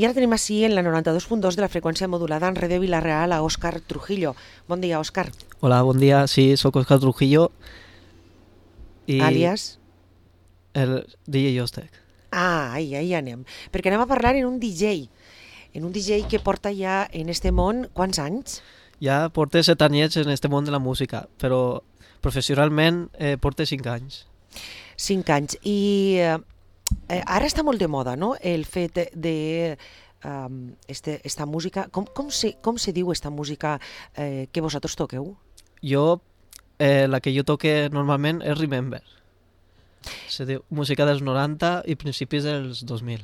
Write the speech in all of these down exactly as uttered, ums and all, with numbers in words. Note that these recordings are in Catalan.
I ara tenim així en la noranta-dos punt dos de la freqüència modulada en Ràdio Vila-real a Òscar Trujillo. Bon dia, Òscar. Hola, bon dia. Sí, sóc Òscar Trujillo. I Àlies? el D J Jostec. Ah, ahí, ahí anem. Perquè anem a parlar en un D J. En un D J que porta ja en este món, quants anys? Ja porto set anyets en este món de la música, però professionalment eh, porto cinc anys. Cinc anys. I eh, ara està molt de moda, no?, el fet de um, este, esta música. Com, com, se, com se diu esta música eh, que vosaltres toqueu? Jo, eh, la que jo toque normalment és Remember. Se diu música dels noranta i principis dels dos mil.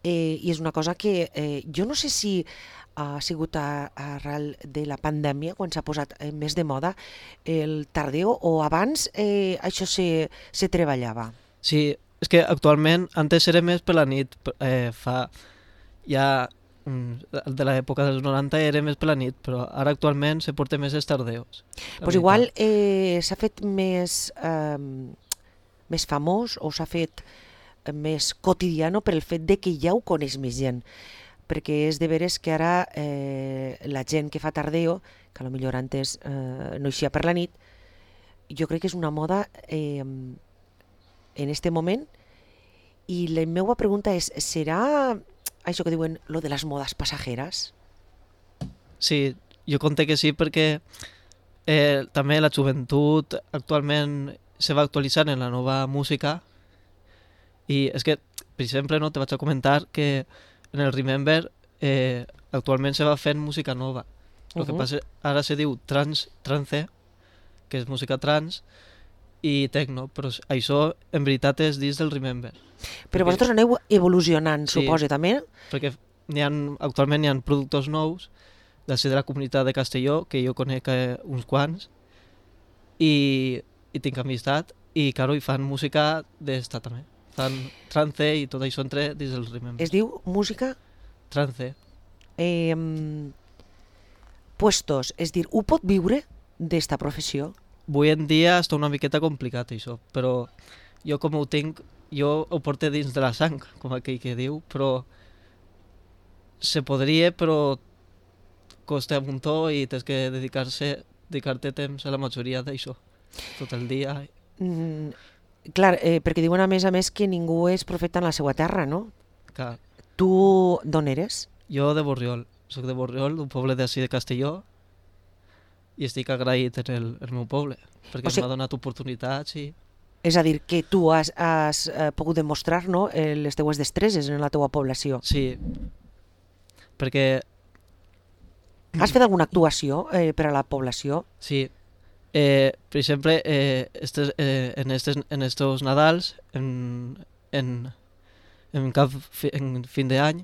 Eh, I és una cosa que eh, jo no sé si ha sigut a, arrel de la pandèmia quan s'ha posat eh, més de moda el tardeo, o abans eh, això se, se treballava? Sí, és que actualment, antes era més per la nit, eh, fa ja de l'època dels noranta era més per la nit, però ara actualment se porta més els tardeos. Doncs pues igual eh, s'ha fet més, eh, més famós o s'ha fet més quotidiano per el fet de que ja ho coneix més gent, perquè és de veres que ara eh, la gent que fa tardeo, que potser antes eh, no eixia per la nit, jo crec que és una moda eh, en este moment. I la meva pregunta és, serà això que diuen lo de les modes passajeres? Sí, jo conté que sí, perquè eh, també la joventut actualment se va actualitzant en la nova música. I és que, per exemple, no, te vaig a comentar que en el Remember eh, actualment se va fent música nova. El uh -huh. que passa ara se diu trans, trance, que és música trans, i techno, però això en veritat és dins del Remember. Però perquè, vosaltres aneu evolucionant, sí, suposo, també? Perquè hi ha, actualment hi ha productors nous de ser de la comunitat de Castelló, que jo conec eh, uns quants, i, i tinc amistat, i claro, hi fan música d'esta també. Fan trance i tot això entre dins del Remember. Es diu música? Trance. Eh, puestos, és dir, ho pot viure d'esta professió? Avui en dia està una miqueta complicat això, però jo com ho tinc, jo ho porto dins de la sang, com aquell que diu, però se podria, però costa un muntó i tens que dedicar-se, dedicar-te temps a la majoria d'això, tot el dia. Mm, clar, eh, perquè diuen a més a més que ningú és profeta en la seva terra, no? Clar. Tu d'on eres? Jo de Borriol, soc de Borriol, d'un poble d'ací de Castelló, i estic agraït en el, el meu poble, perquè o sigui, m'ha donat oportunitats i... És a dir, que tu has, has eh, pogut demostrar, no, les teues destreses en la teua població. Sí, perquè... Has fet alguna actuació eh, per a la població? Sí, eh, per exemple, eh, estes, eh, en, estes, en estos Nadals, en, en, en, cap fi, en fin d'any...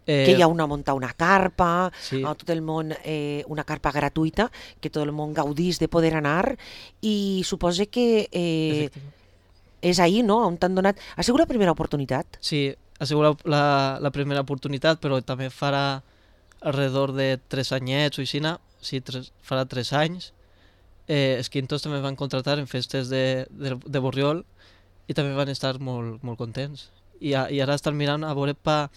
Eh, que hi ha una muntar una carpa, sí, a tot el món, eh, una carpa gratuïta, que tot el món gaudís de poder anar, i suposa que eh, és ahir, no?, on t'han donat... Ha sigut la primera oportunitat? Sí, ha sigut la, la primera oportunitat, però també farà alrededor de tres anyets o així, sí, tres, farà tres anys. Eh, els Quintos també van contratar en festes de, de, de Borriol i també van estar molt, molt contents. I, i ara estan mirant a veure pa...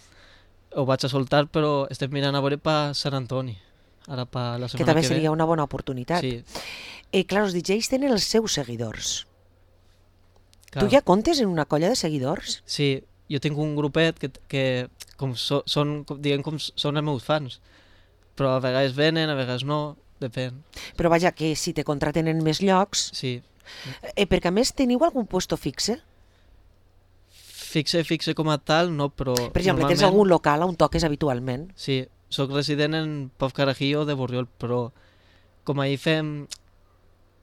ho vaig a soltar, però estem mirant a veure per Sant Antoni, ara per la setmana que ve. Que també seria una bona oportunitat. Sí. Eh, clar, els D Js tenen els seus seguidors. Clar. Tu ja comptes en una colla de seguidors? Sí, jo tinc un grupet que, que com so, són, diguem, com són els meus fans, però a vegades venen, a vegades no, depèn. Però vaja, que si te contraten en més llocs... Sí. Eh, perquè a més teniu algun puesto fixe? Fixe, fixe com a tal, no, però... Per exemple, tens algun local on toques habitualment? Sí, sóc resident en Pau Carajillo de Borriol, però com ahir fem...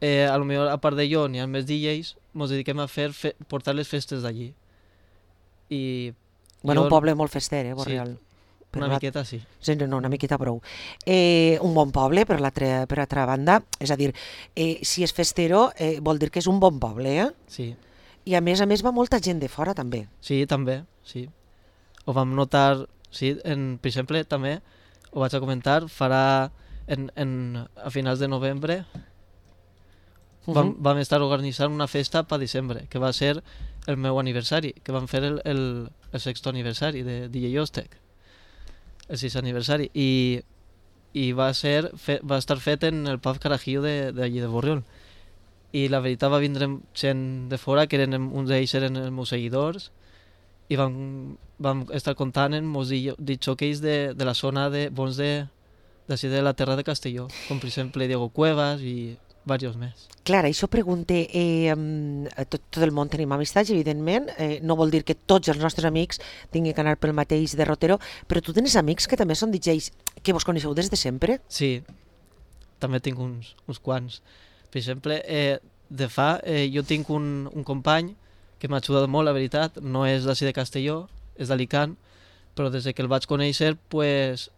Eh, a lo millor, a part de jo, n'hi ha més D Js, ens dediquem a fer fe portar les festes d'allí. I... Bueno, jo... un poble molt fester, eh, Borriol? Sí, una la... miqueta sí. Sí, no, una miqueta prou. Eh, un bon poble, per l'altra per altra banda, és a dir, eh, si és festero, eh, vol dir que és un bon poble, eh? Sí. I a més a més va molta gent de fora també. Sí, també, sí. Ho vam notar, sí, en, per exemple, també, ho vaig a comentar, farà en, en, a finals de novembre, uh -huh. vam, vam estar organitzant una festa per desembre, que va ser el meu aniversari, que vam fer el, el, el sexto aniversari de D J Jostec. el sis aniversari, i, i va, ser, fe, va estar fet en el pub Carajillo d'allí de, de Borriol. I la veritat va vindre gent de fora, que eren, uns d'ells eren els meus seguidors, i vam, vam estar contant en molts discjòqueis de, de la zona de bons de, d'ací de la terra de Castelló, com per exemple Diego Cuevas i diversos més. Clar, això pregunte, eh, tot, tot el món tenim amistats, evidentment, eh, no vol dir que tots els nostres amics tinguin que anar pel mateix derrotero, però tu tens amics que també són D Js que vos coneixeu des de sempre? Sí, també tinc uns, uns quants. Per exemple, eh, de fa, eh, jo tinc un, un company que m'ha ajudat molt, la veritat, no és d'ací de Castelló, és d'Alicant, però des que el vaig conèixer, pues,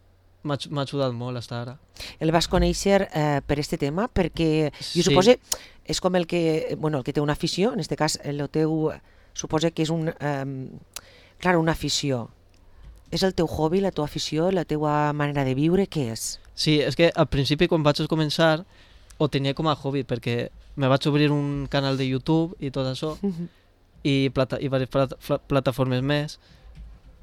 m'ha ajudat molt fins ara. El vas conèixer eh, per este tema, perquè jo Sí. suposo és com el que, bueno, el que té una afició, en este cas el teu, suposo que és un, eh, clar, una afició. És el teu hobby, la teva afició, la teva manera de viure, què és? Sí, és que al principi quan vaig començar ho tenia com a hobby, perquè me vaig obrir un canal de YouTube i tot això, i, plata, i diverses plata, plataformes més,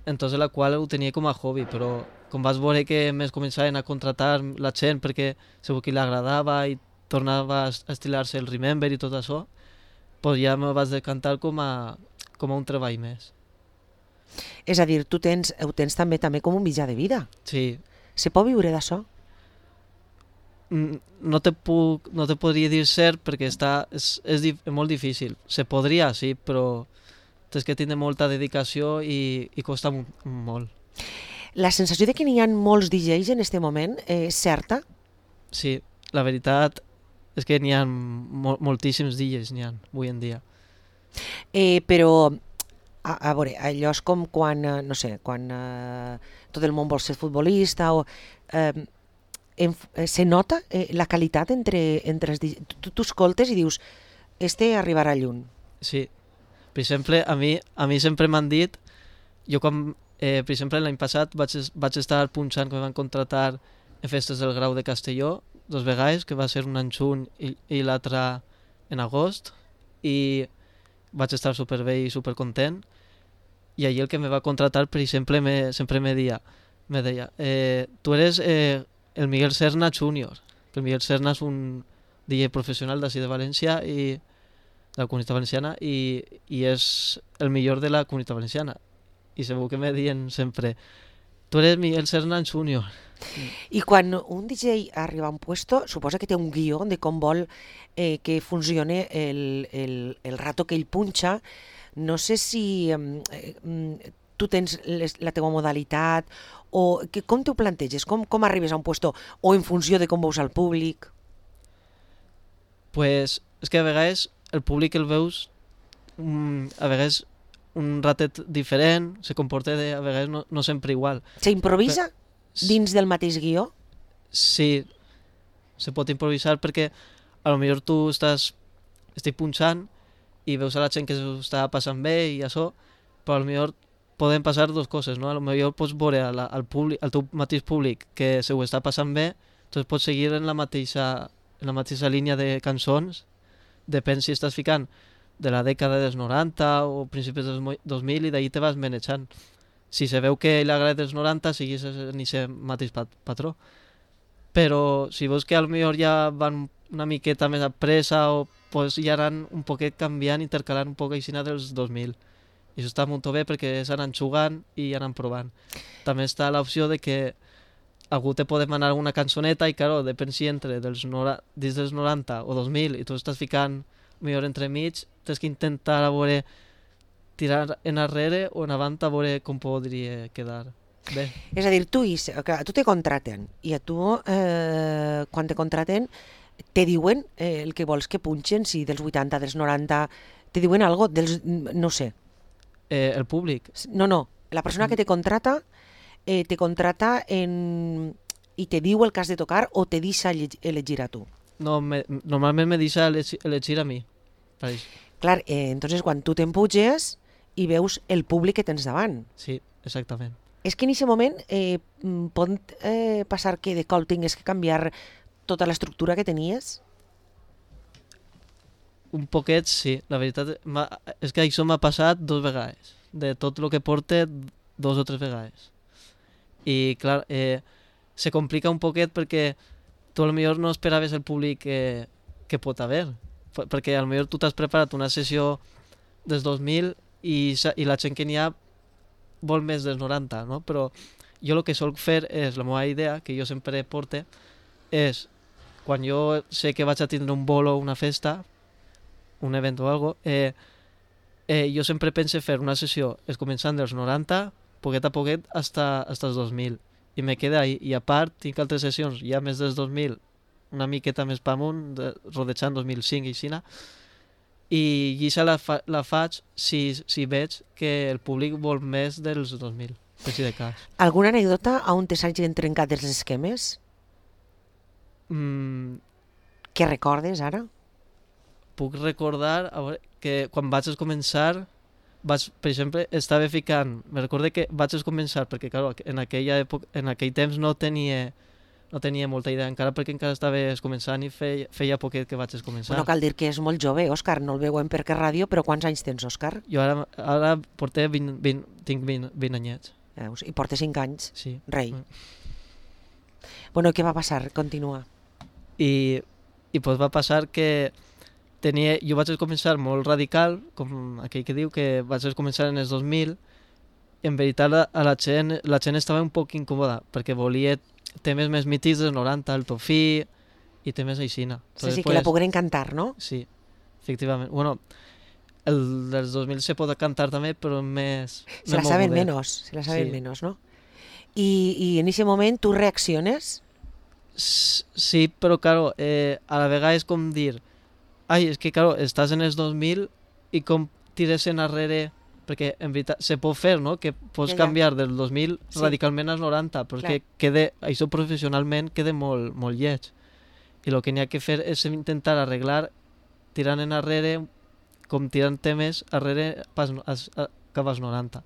entonces la qual ho tenia com a hobby, però com vas veure que més començaven a contratar la gent perquè segur que li agradava i tornava a estilar-se el Remember i tot això, pues ja me vas decantar com a, com a un treball més. És a dir, tu tens, ho tens també també com un mitjà de vida. Sí. Se pot viure d'això? No te, puc, no te podria dir cert perquè està, és, és, dif, és molt difícil. Se podria, sí, però tens que tindre molta dedicació i, i costa molt. La sensació de que n'hi ha molts D Js en aquest moment és certa? Sí, la veritat és que n'hi ha mol, moltíssims D Js, n'hi ha avui en dia. Eh, però, a, a veure, allò és com quan, no sé, quan eh, tot el món vol ser futbolista o... Eh, En, se nota eh, la qualitat entre, entre els... Tu, tu escoltes i dius, este arribarà lluny. Sí. Per exemple, a mi, a mi sempre m'han dit, jo quan, eh, per exemple, l'any passat vaig, vaig estar punxant que em van contratar en festes del Grau de Castelló, dos vegades, que va ser una en juny i, i l'altra en agost, i vaig estar superbé i supercontent, i allí el que me va contratar, per exemple, me, sempre me deia, me deia eh, tu eres... Eh, el Miguel Serna Júnior, que el Miguel Serna és un D J professional d'ací de València i de la Comunitat Valenciana i, i és el millor de la Comunitat Valenciana. I segur que me diuen sempre, tu eres Miguel Serna Júnior. I quan un D J arriba a un puesto, suposa que té un guió de com vol eh, que funcione el, el, el rato que ell punxa. No sé si eh, tu tens les, la teva modalitat o que, com t'ho planteges? Com, com arribes a un puesto? O en funció de com veus al públic? Pues és que a vegades el públic el veus um, a vegades un ratet diferent, se comporta de, a vegades no, no sempre igual. S'improvisa dins del mateix guió? Sí, se pot improvisar perquè a lo millor tu estàs estic punxant i veus a la gent que s'ho està passant bé i això, però a lo millor poden passar dues coses, no? A lo millor pots veure al, al, públic, al teu mateix públic que se ho està passant bé, doncs pots seguir en la mateixa, en la mateixa línia de cançons, depèn si estàs ficant de la dècada dels noranta o principis dels dos mil i d'ahir te vas manejant. Si se veu que li agrada dels noranta, seguís en aquest mateix pat patró. Però si veus que a lo millor ja van una miqueta més a pressa o pues ja anan un poquet canviant, intercalant un poc així dels dos mil. I això està molt bé perquè s'anen jugant i anen provant. També està l'opció de que algú te pot demanar una cançoneta i, claro, depèn si entre dels nora, dins dels noranta o dos mil i tu estàs ficant millor entremig, tens que intentar a veure tirar enrere o en avant a veure com podria quedar bé. És a dir, tu, a tu te contraten i a tu, eh, quan te contraten, te diuen eh, el que vols que punxen, si dels vuitanta, dels noranta, te diuen algo dels, no sé. Eh, el públic? No, no, la persona que te contrata eh, te contrata en... i te diu el que has de tocar o te deixa elegir a tu? No, me, normalment me deixa elegir a mi. Clar, eh, entonces quan tu t'empuges i veus el públic que tens davant. Sí, exactament. És que en aquest moment eh, pot eh, passar que de cop tingues que canviar tota l'estructura que tenies? Un poquet, sí. La veritat és que això m'ha passat dos vegades. De tot el que porte, dos o tres vegades. I, clar, eh, se complica un poquet perquè tu potser no esperaves el públic que, que pot haver. Perquè potser tu t'has preparat una sessió dels dos mil i, i la gent que n'hi ha vol més dels noranta, no? Però jo el que solc fer és, la meva idea, que jo sempre porte, és, quan jo sé que vaig a tindre un bolo, una festa, un event o algo, eh, eh, jo sempre pense fer una sessió és començant dels noranta, poquet a poquet, hasta, hasta els dos mil. I me queda ahí. I a part, tinc altres sessions ja més dels dos mil, una miqueta més per amunt, de, rodejant dos mil cinc i així, i això la, fa, la faig si, si veig que el públic vol més dels dos mil, per si de cas. Alguna anècdota on te s'hagin trencat els esquemes? Mm, Què recordes ara? puc recordar a veure, que quan vaig començar, vaig, per exemple, estava ficant, me recordo que vaig començar, perquè clar, en, aquella època, en aquell temps no tenia, no tenia molta idea encara, perquè encara estava començant i feia, feia poquet que vaig començar. Bueno, cal dir que és molt jove, Òscar, no el veuen perquè ràdio, però quants anys tens, Òscar? Jo ara, ara porté vint, vint, tinc vint, vint anyets. Veus? I portes cinc anys, sí. Rei. Mm. Bueno, què va passar? Continua. I, i pues va passar que tenia, jo vaig començar molt radical, com aquell que diu que vaig començar en els dos mil, i en veritat la, a la, gent, la gent estava un poc incòmoda, perquè volia temes més mítics dels noranta, el Tofí i temes aixina. Sí, sí, que la pogueren cantar, no? Sí, efectivament. Bueno, el dels dos mil se pot cantar també, però més... Se la saben menos, se la saben sí. menos, ¿no? Y, y en ese moment tu reacciones? Sí, però claro, eh, a la vegada és com dir, ai, és que claro, estàs en els dos mil i com tires enrere, perquè en veritat se pot fer, no? Que pots ja, ja. canviar del dos mil sí. radicalment als noranta, però Clar. que quede, això professionalment queda molt, molt lleig. I el que n'hi ha que fer és intentar arreglar tirant enrere, com tirant temes arrere pas, as, a, cap als noranta.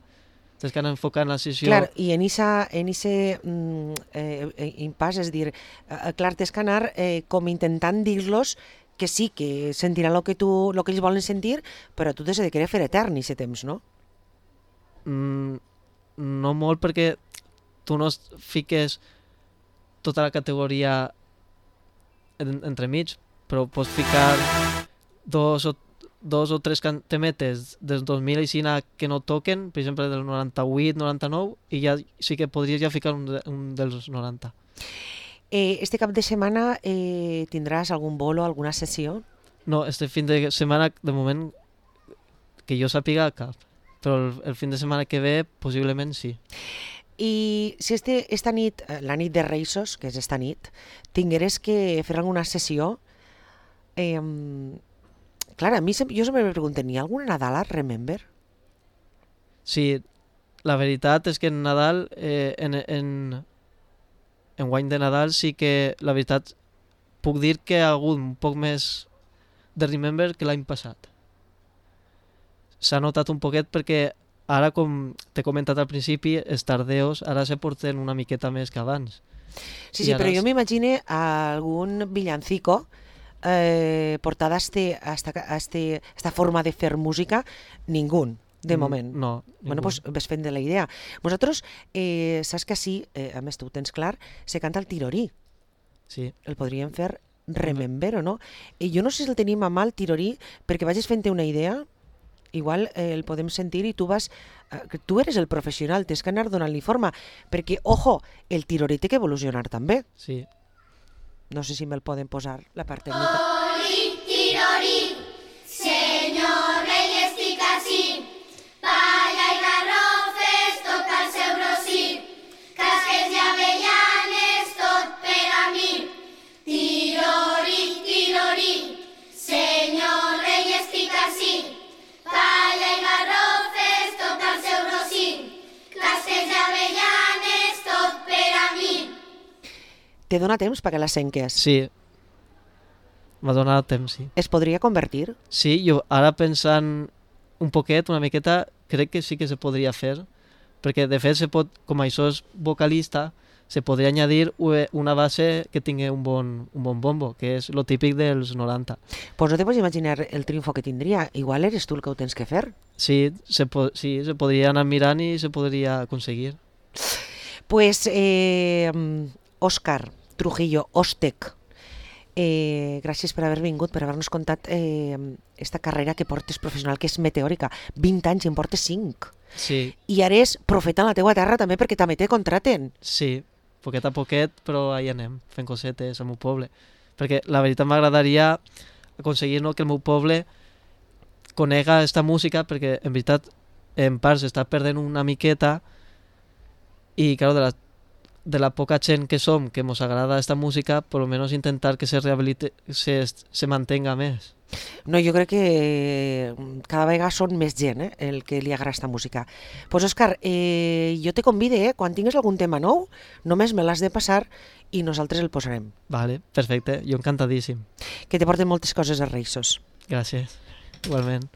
Tens que anar enfocant la sessió... Clar, i en ese en ese, mm, eh, impàs, és dir, eh, clar, tens que anar eh, com intentant dir-los que sí, que sentiran el que, tu, lo que ells volen sentir, però tu t'has de querer fer etern i ese temps, no? Mm, no molt, perquè tu no fiques tota la categoria en, entremig, però pots ficar dos o dos o tres temetes dels dos mil aixina que no toquen, per exemple del noranta-vuit, noranta-nou, i ja sí que podries ja ficar un, de, un dels noranta. Eh, este cap de setmana eh, tindràs algun bolo, alguna sessió? No, este fin de setmana, de moment, que jo sàpiga cap, però el, el fin de setmana que ve, possiblement sí. I si este, esta nit, la nit de Reisos, que és esta nit, tingueres que fer alguna sessió, eh, clar, a mi jo sempre me pregunto, ¿hi ha alguna Nadal a Remember? Sí, la veritat és que en Nadal, eh, en, en, en guany de Nadal, sí que la veritat puc dir que hi ha hagut un poc més de Remember que l'any passat. S'ha notat un poquet perquè ara, com t'he comentat al principi, els tardeos ara se porten una miqueta més que abans. Sí, sí, però jo m'imagine algun villancico Eh, portada a, este, a, esta, a, este, a esta forma de fer música, ningún, de moment. Mm, no. Bueno, doncs pues, ves fent de la idea. Vosaltres, eh, saps que així, eh, a més tu ho tens clar, se canta el tirorí. Sí. El podríem fer Remember o no? I jo no sé si el tenim a mà el tirorí, perquè vagis fent-te una idea, igual eh, el podem sentir i tu vas... Eh, tu eres el professional, tens que anar donant-li forma, perquè, ojo, el tirorí té que evolucionar també. Sí. No sé si me'l poden posar, la part tècnica. Oli, tirorí, senyor rei estic ací, palla i garrofes, tot al seu rossí, casques i avellanes, tot per a mi. Tirorí, tirorí, senyor rei estic ací, palla i garrofes, tot al seu rossí, casques i avellanes, tot per a mi. Te dona temps perquè la senques? Sí, m'ha donat temps, sí. Es podria convertir? Sí, jo ara pensant un poquet, una miqueta, crec que sí que se podria fer, perquè de fet se pot, com això és vocalista, se podria añadir una base que tingui un bon, un bon bombo, que és lo típic dels noranta. Pues no te pots imaginar el triunfo que tindria. Igual eres tu el que ho tens que fer. Sí, se, po sí, se podria anar mirant i se podria aconseguir. Pues, eh, Òscar Trujillo, Òstec, eh, gràcies per haver vingut, per haver-nos contat eh, esta carrera que portes professional, que és meteòrica. vint anys i en portes cinc. Sí, I ara és profeta en la teua terra també, perquè també te contraten. sí, poquet a poquet, però ahí anem, fent cosetes al meu poble. Perquè la veritat m'agradaria aconseguir, no, que el meu poble conega esta música, perquè en veritat en part s'està perdent una miqueta i, claro, de la, de la poca gent que som, que ens agrada esta música, por lo menos intentar que se rehabilite, se, se mantenga més. No, jo crec que cada vegada són més gent eh, el que li agrada esta música. Pues, Òscar, eh, jo te convide, eh, quan tingues algun tema nou, només me l'has de passar i nosaltres el posarem. Vale, perfecte, jo encantadíssim. Que te porten moltes coses a Reixos. Gràcies, igualment.